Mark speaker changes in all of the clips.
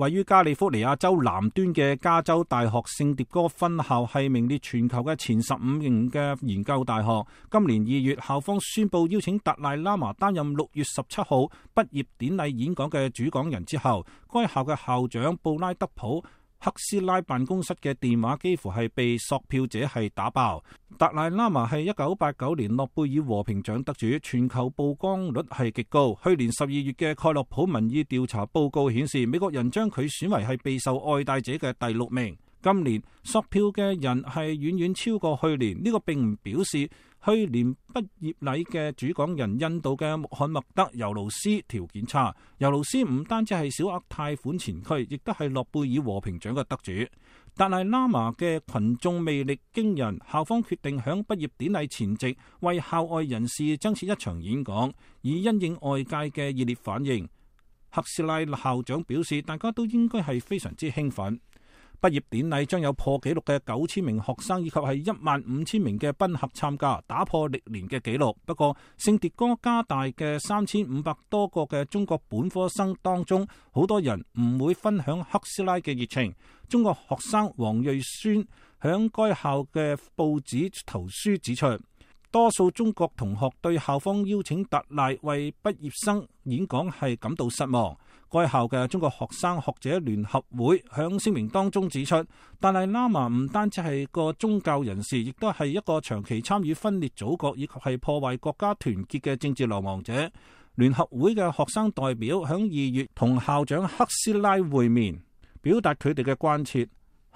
Speaker 1: 位於加利福尼亞州南端嘅加州大學聖迭戈分校係名列全球嘅前15名嘅研究大學。今年2月，校方宣布邀請達賴喇嘛擔任6月17號畢業典禮演講嘅主講人之後，該校嘅校長布拉德普克斯拉辦公室嘅電話幾乎係被索票者係打爆。達賴喇嘛係1989年諾貝爾和平獎得主，全球曝光率係極高。去年12月嘅蓋洛普民意調查報告顯示，美國人將佢選為係備受愛戴者嘅第6名。今年索票嘅人係遠遠超過去年，呢個並唔表示去年畢業禮嘅主講人印度嘅穆罕默德尤盧斯條件差。尤盧斯唔單止係小額貸款前驅，亦都係諾貝爾和平獎嘅得主。達賴喇嘛嘅群眾魅力驚人，校方決定響畢業典禮前夕為校外人士增設一場演講，以因應外界嘅熱烈反應。克斯拉校長表示，大家都應該係非常之興奮。畢業典禮將有破紀錄嘅9000名學生以及係15000名嘅賓客參加，打破歷年嘅紀錄。不過，聖迭戈加大嘅3500多個嘅中國本科生當中，好多人唔會分享克斯拉嘅熱情。中國學生黃瑞宣響該校嘅報紙投書指出，多數中國同學對校方邀請達賴為畢業生演講係感到失望。該校嘅中國學生學者聯合會響聲明當中指出，達賴喇嘛唔單止係個宗教人士，亦都係一個長期參與分裂祖國以及係破壞國家團結嘅政治流亡者。聯合會嘅學生代表響2月同校長克斯拉會面，表達佢哋嘅關切。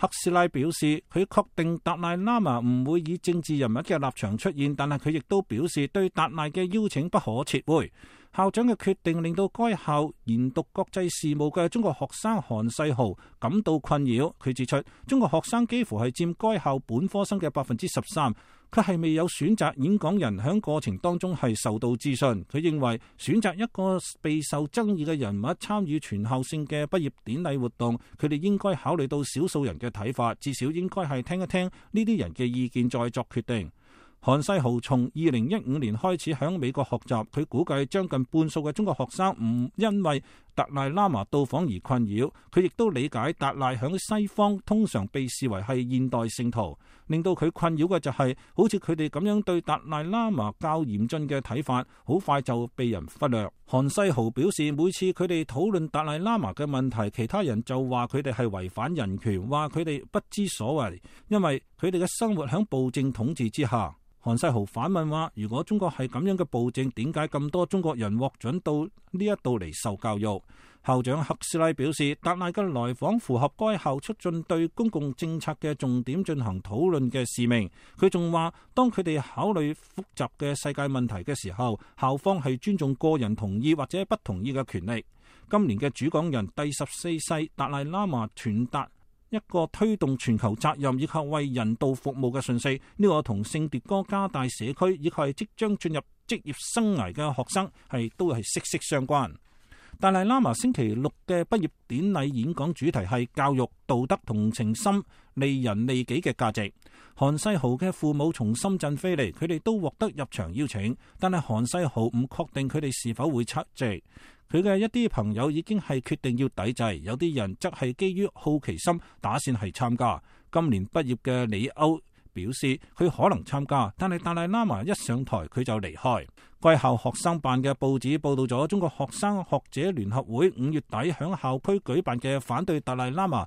Speaker 1: 克斯拉表示，佢確定達賴喇嘛唔會以政治人物嘅立場出現，但係佢亦都表示對達賴嘅邀請不可撤回。校長嘅決定令到該校研讀國際事務嘅中國學生韓世豪感到困擾。佢指出，中國學生幾乎係佔該校本科生嘅13%，佢係未有選擇演講人，響過程當中係受到諮詢。佢認為選擇一個備受爭議嘅人物參與全校性嘅畢業典禮活動，佢哋應該考慮到少數人嘅睇法，至少應該係聽一聽呢啲人嘅意見再作決定。韓世豪從2015年開始響美國學習，佢估計將近半數嘅中國學生唔因為達賴喇嘛到訪而困擾。佢亦都理解達賴響西方通常被視為係現代聖徒，令到佢困擾嘅就係好似佢哋咁樣對達賴喇嘛較嚴峻嘅睇法，好快就被人忽略。韓世豪表示，每次佢哋討論達賴喇嘛嘅問題，其他人就話佢哋係違反人權，話佢哋不知所謂，因為佢哋嘅生活響暴政統治之下。韓世豪反問話，如果中國係咁樣嘅暴政，點解咁多中國人獲准到呢一度嚟受教育？校長克斯拉表示，達賴嘅來訪符合該校促進對公共政策嘅重點進行討論嘅使命。佢仲話，當佢哋考慮複雜嘅世界問題嘅時候，校方係尊重個人同意或者不同意嘅權利。今年嘅主講人第14世達賴喇嘛傳達一個推動全球責任以及為人道服務嘅訊息，呢個同聖迭戈加大社區以及係即將進入職業生涯嘅學生都係息息相關。達賴喇嘛星期六嘅畢業典禮演講主題係教育、道德、同情心、利人利己嘅價值。韓世豪嘅父母從深圳飛嚟，佢哋都獲得入場邀請，但係韓世豪唔確定佢哋是否會出席。佢嘅一啲朋友已經係決定要抵制，有啲人則係基於好奇心打算係參加。今年畢業嘅李歐表示佢可能參加，但係達賴喇嘛一上台佢就離開。該校學生辦嘅報紙報道咗中國學生學者聯合會5月底響校區舉辦嘅反對達賴喇嘛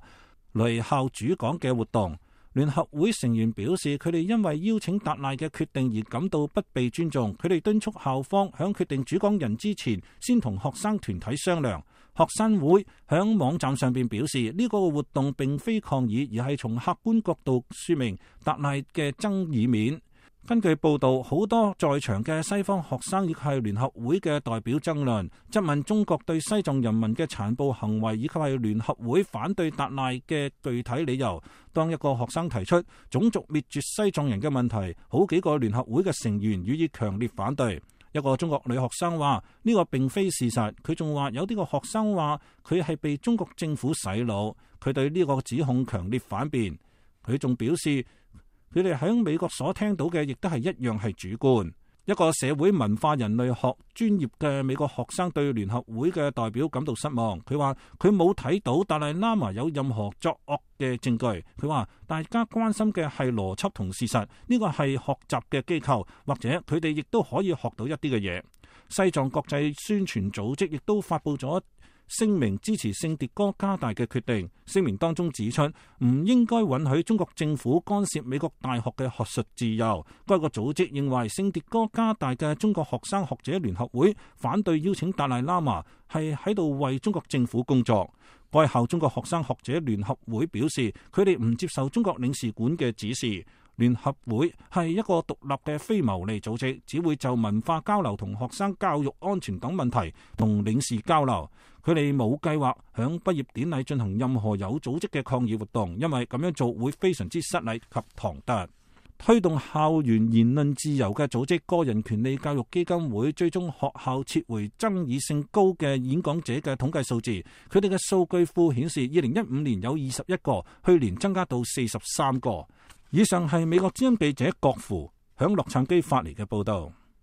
Speaker 1: 嚟校主講嘅活動。聯合會成員表示，佢哋因為邀請達賴嘅決定而感到不被尊重，佢哋敦促校方響決定主講人之前，先同學生團體商量。學生會響網站上邊表示，呢個活動並非抗議，而係從客觀角度說明達賴嘅爭議面。根據報道，好多在場嘅西方學生亦係聯合會嘅代表爭論，質問中國對西藏人民嘅殘暴行為，以及係聯合會反對達賴嘅具體理由。當一個學生提出種族滅絕西藏人嘅問題，好幾個聯合會嘅成員予以強烈反對。一個中國女學生話呢個並非事實，佢仲話有啲個學生話佢係被中國政府洗腦，佢對呢個指控強烈反辯。佢仲表示佢哋喺美國所聽到嘅亦都係一樣係主觀。一個社會文化人類學專業嘅美國學生對聯合會嘅代表感到失望。佢話佢冇睇到達賴喇嘛有任何作惡嘅證據。佢話大家關心嘅係邏輯同事實，呢個係學習嘅機構，或者佢哋亦都可以學到一啲嘅嘢。西藏國際宣傳組織亦都發佈咗聲明支持聖迭戈加大嘅決定。聲明當中指出，唔應該允許中國政府干涉美國大學嘅學術自由。該個組織認為聖迭戈加大嘅中國學生學者聯合會反對邀請達賴喇嘛係喺度為中國政府工作。該校中國學生學者聯合會表示，佢哋唔接受中國領事館嘅指示。聯合會係一個獨立嘅非牟利組織，只會就文化交流同學生教育安全等問題同領事交流。佢哋冇計劃響畢業典禮進行任何有組織嘅抗議活動，因為咁樣做會非常之失禮及唐突。推動校園言論自由嘅組織個人權利教育基金會追蹤學校撤回爭議性高嘅演講者嘅統計數字，佢哋嘅數據庫顯示2015年有21個，去年增加到43個。以上係美國之音記者郭芙響洛杉磯發嚟嘅報道。